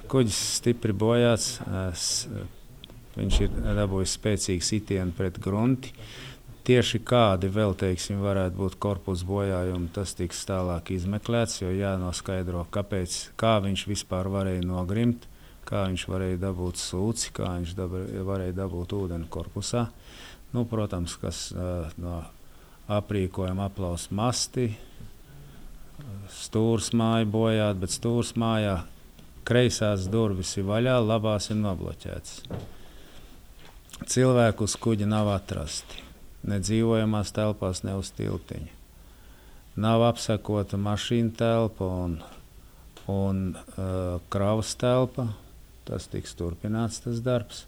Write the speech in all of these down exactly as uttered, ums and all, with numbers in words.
kuģis stipri bojāts, viņš ir dabūjis spēcīgu sitienu pret grunti. Tieši kādi vēl, teiksim, varētu būt korpusa bojājumi, tas tiks tālāk izmeklēts, jo jānoskaidro, kāpēc, kā viņš vispār varēja nogrimt, kā viņš varēja dabūt sūci, kā viņš dabra, varēja dabūt ūdeni korpusā. Nu, protams, kas uh, no aprīkojuma aplaus masti, stūrs māja bojāt, bet stūrs mājā kreisās durvis ir vaļā, labās ir nobloķētas. Cilvēku uz kuģa nav atrasti. Ne dzīvojamās telpās, ne uz tiltiņa. Nav apsakota mašīna telpa un, un uh, kravas telpa. Tas tiks turpināts, tas darbs.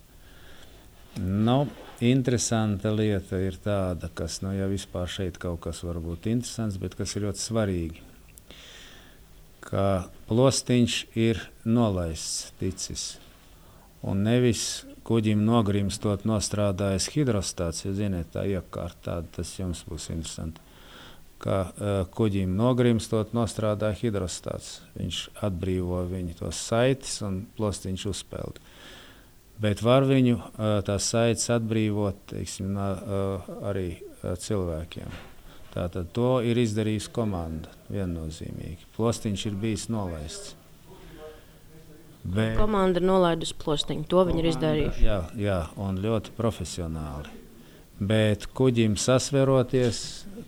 Nu, interesanta lieta ir tāda, kas, nu, ja vispār šeit kaut kas var būt interesants, bet kas ir ļoti svarīgi, ka plostiņš ir nolaists ticis. Un nevis kuģim nogrimstot nostrādājas hidrostāts, jo, ziniet, tā iekārta tāda, tas jums būs interesanti, ka uh, kuģim nogrimstot nostrādāja hidrostāts. Viņš atbrīvo viņu tos saites un plostiņš uzpeld. Bet var viņu uh, tās saites atbrīvot, teiksim, uh, arī uh, cilvēkiem. Tātad to ir izdarījusi komanda viennozīmīgi. Plostiņš ir bijis nolaists. Bet komanda ir nolaidusi plostiņu, to viņi ir izdarījuši. Jā, jā, un ļoti profesionāli. Bet kuģim sasveroties,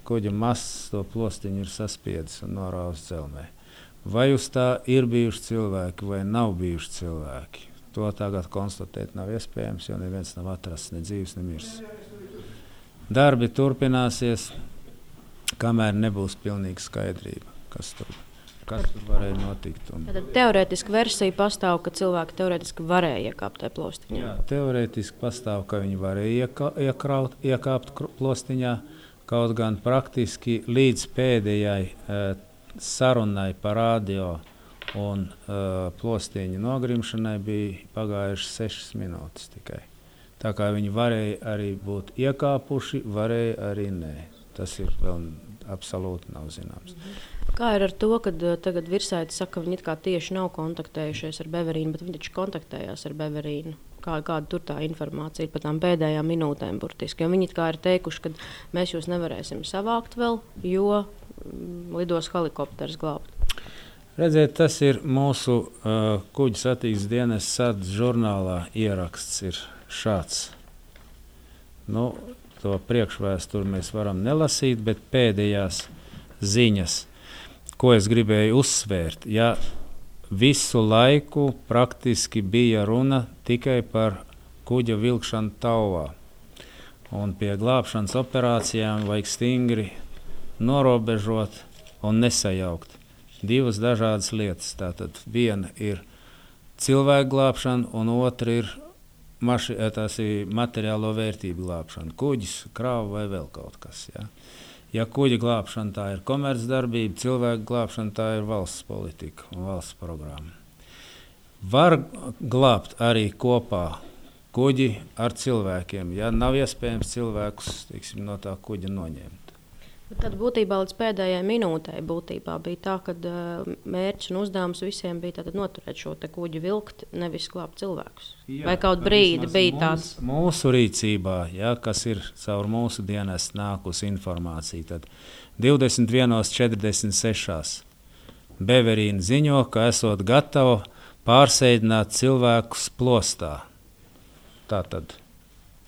kuģa masts to plostiņu ir saspiedis un norāvis dzelmē. Vai uz tā ir bijuši cilvēki vai nav bijuši cilvēki? To tagad konstatēt nav iespējams, jo neviens nav atrasts, ne dzīvs, ne mirs. Darbi turpināsies, kamēr nebūs pilnīga skaidrība, kas tur kas tur varēja notikt. Un... Tātad teorētiski versija pastāv, ka cilvēki teorētiski varēja iekāpt tajā plostiņā. Jā, teorētiski pastāv, ka viņi varēja ieka, iekraut, iekāpt plostiņā, kaut gan praktiski līdz pēdējai e, sarunai par radio un e, plostiņu nogrimšanai bija pagājušas sešas minūtes tikai. Tā kā viņi varēja arī būt iekāpuši, varēja arī nē. Tas ir vēl absolūti nav zināms. Kā ir ar to, ka tagad Virsaite saka, ka viņi it kā tieši nav kontaktējušies ar Beverīnu, bet viņi taču kontaktējās ar Beverīnu? Kā, kāda tur tā informācija ir par tām pēdējām minūtēm burtiski? Jo viņi it kā ir teikuši, ka mēs jūs nevarēsim savākt vēl, jo mm, lidos helikopters glābt. Redziet, tas ir mūsu uh, kuģa satiksmes dienesta sardzes žurnālā ieraksts ir šāds. Nu, to priekšvēsturi mēs varam nelasīt, bet pēdējās ziņas, ko es gribēju uzsvērt, ja visu laiku praktiski bija runa tikai par kuģa vilkšanu tauvā. Un pie glābšanas operācijām vajag stingri norobežot un nesajaukt. Divas dažādas lietas. Tātad viena ir cilvēku glābšana un otra ir Maši, tās ir materiālo vērtību glābšana, kuģis, krāva vai vēl kaut kas. Ja, ja kuģa glābšana tā ir komercdarbība, cilvēku glābšana tā ir valsts politika un valsts programma. Var glābt arī kopā kuģi ar cilvēkiem, ja nav iespējams cilvēkus, teiksim, no tā kuģa noņemt. Tad būtībā līdz pēdējai minūtei būtībā bija tā, ka uh, mērķis un uzdevums visiem bija tātad noturēt šo te kuģi vilkt, nevis glābt cilvēkus. Jā, vai kaut brīdi bija tāds? Mūsu, mūsu rīcībā, ja, kas ir caur mūsu dienestu nākusi informācija, tad divdesmit viena četrdesmit seši Beverīna ziņo, ka esot gatava pārsēdināt cilvēkus plostā. Tātad.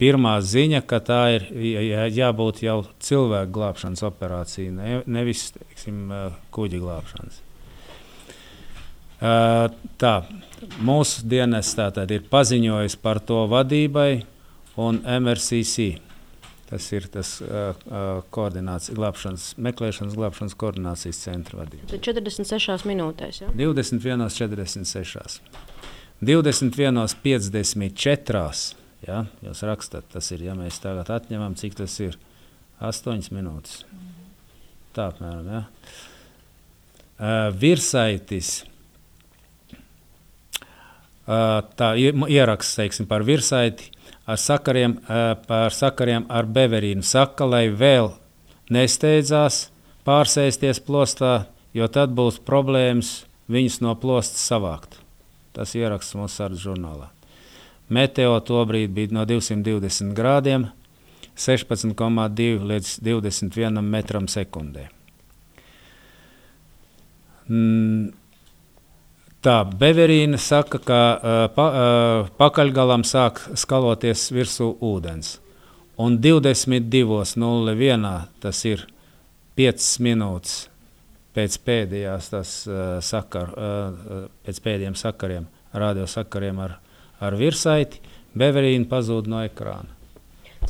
Pirmā ziņa, ka tā ir jā, jābūt jau cilvēku glābšanas operācija, ne, nevis, teiksim, kuģi glābšanas. Uh, tā, mūsu dienests tātad ir paziņojis par to vadībai un M R C C. Tas ir tas uh, koordinācijas, glābšanas, meklēšanas glābšanas koordinācijas centra vadība. četrdesmit sešās minūtēs, ja? divdesmit viena četrdesmit seši. divdesmit viena piecdesmit četri. Ja, jūs rakstat, tas ir, ja mēs tagad atņemam, cik tas ir? astoņas minūtes. Tā apmēram, ja. Uh, Virsaitis, uh, tā ieraksts, teiksim, par Virsaiti, ar sakariem, uh, par sakariem ar Beverīnu saka, lai vēl nesteidzās pārsēsties plostā, jo tad būs problēmas viņus no plostas savākt. Tas ieraksts mūsu sardzes žurnālā. Meteo tobrīd bija no divsimt divdesmit grādiem, sešpadsmit komā divi līdz divdesmit vienam metram sekundē. Mm. Tā, Beverīna saka, ka uh, pa, uh, pakaļgalam sāk skaloties virsū ūdens. Un divdesmit divos nulle vienā, tas ir piecas minūtes pēc pēdējās tas, uh, sakar, uh, pēc pēdējiem sakariem, radiosakariem ar, ar virsaiti, Beverīna pazūd no ekrāna.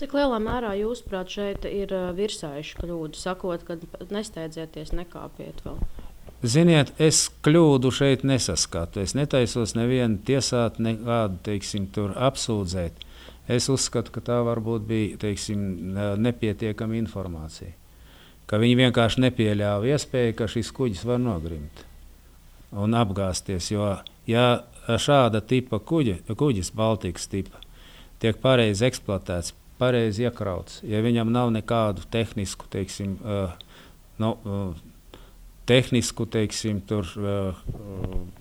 Cik lielā mērā jūsuprāt šeit ir uh, virsaišu kļūda, sakot, ka nesteidzieties, nekāpiet vēl? Ziniet, es kļūdu šeit nesaskatu. Es netaisos nevienu tiesāt, nekādu, teiksim, tur apsūdzēt. Es uzskatu, ka tā varbūt bija, teiksim, nepietiekama informācija. Ka viņi vienkārši nepieļāva iespēju, ka šis kuģis var nogrimt un apgāsties. Jo, ja šāda tipa kuģi, kuģis, Baltikas tipa, tiek pareizi eksploatēts, pareizi iekrauts, ja viņam nav nekādu tehnisku, teiksim, uh, no, uh, tehnisku, teiksim, tur, uh,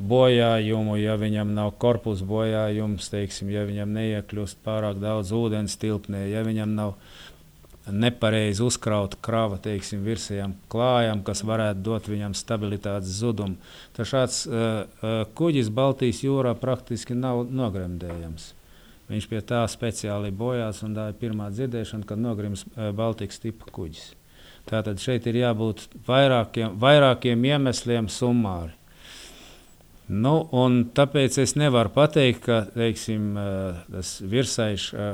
bojājumu, ja viņam nav korpusa bojājums, teiksim, ja viņam neiekļūst pārāk daudz ūdens tilpnē, ja viņam nav nepareizi uzkrauta krava, teiksim, virsējām klājām, kas varētu dot viņam stabilitātes zudumu. Tā šāds uh, uh, kuģis Baltijas jūrā praktiski nav nogremdējams. Viņš pie tā speciāli bojās, un tā ir pirmā dzirdēšana, kad nogrims uh, Baltikas tipa kuģis. Tātad šeit ir jābūt vairākiem, vairākiem iemesliem summāri. Nu, un tāpēc es nevaru pateikt, ka, teiksim, tas virsaiša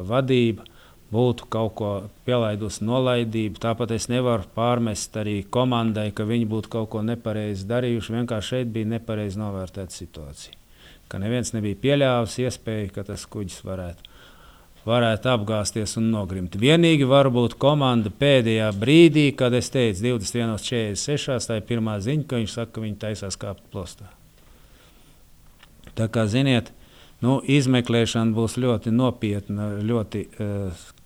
vadība būtu kaut ko pielaidusi nolaidību. Tāpat es nevaru pārmest arī komandai, ka viņi būtu kaut ko nepareizi darījuši. Vienkārši šeit bija nepareizi novērtēta situācija. Ka neviens nebija pieļāvis iespēju, ka tas kuģis varētu. varētu apgāsties un nogrimt. Vienīgi varbūt komanda pēdējā brīdī, kad es teicu divdesmit viens četrdesmit seši, tā ir pirmā ziņa, ka viņš saka, ka viņi taisās kāpt plostā. Tā kā, ziniet, nu, izmeklēšana būs ļoti nopietna, ļoti,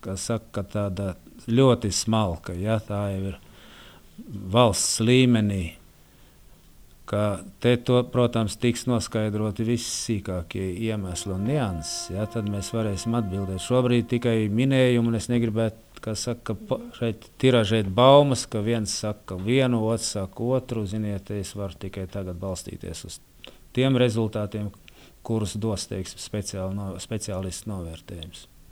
kā saka, tāda ļoti smalka, ja, tā jau ir valsts līmenī, ka te, to, protams, tiks noskaidroti visi sīkākie iemesli un nianses, ja, tad mēs varēsim atbildēt. Šobrīd tikai minējumu, un es negribētu, kā saka, šeit tiražēt baumas, ka viens saka vienu, otrs saka otru, ziniet, es varu tikai tagad balstīties uz tiem rezultātiem, kurus dos, teiksim, speciāli no, speciālistu novērtējums.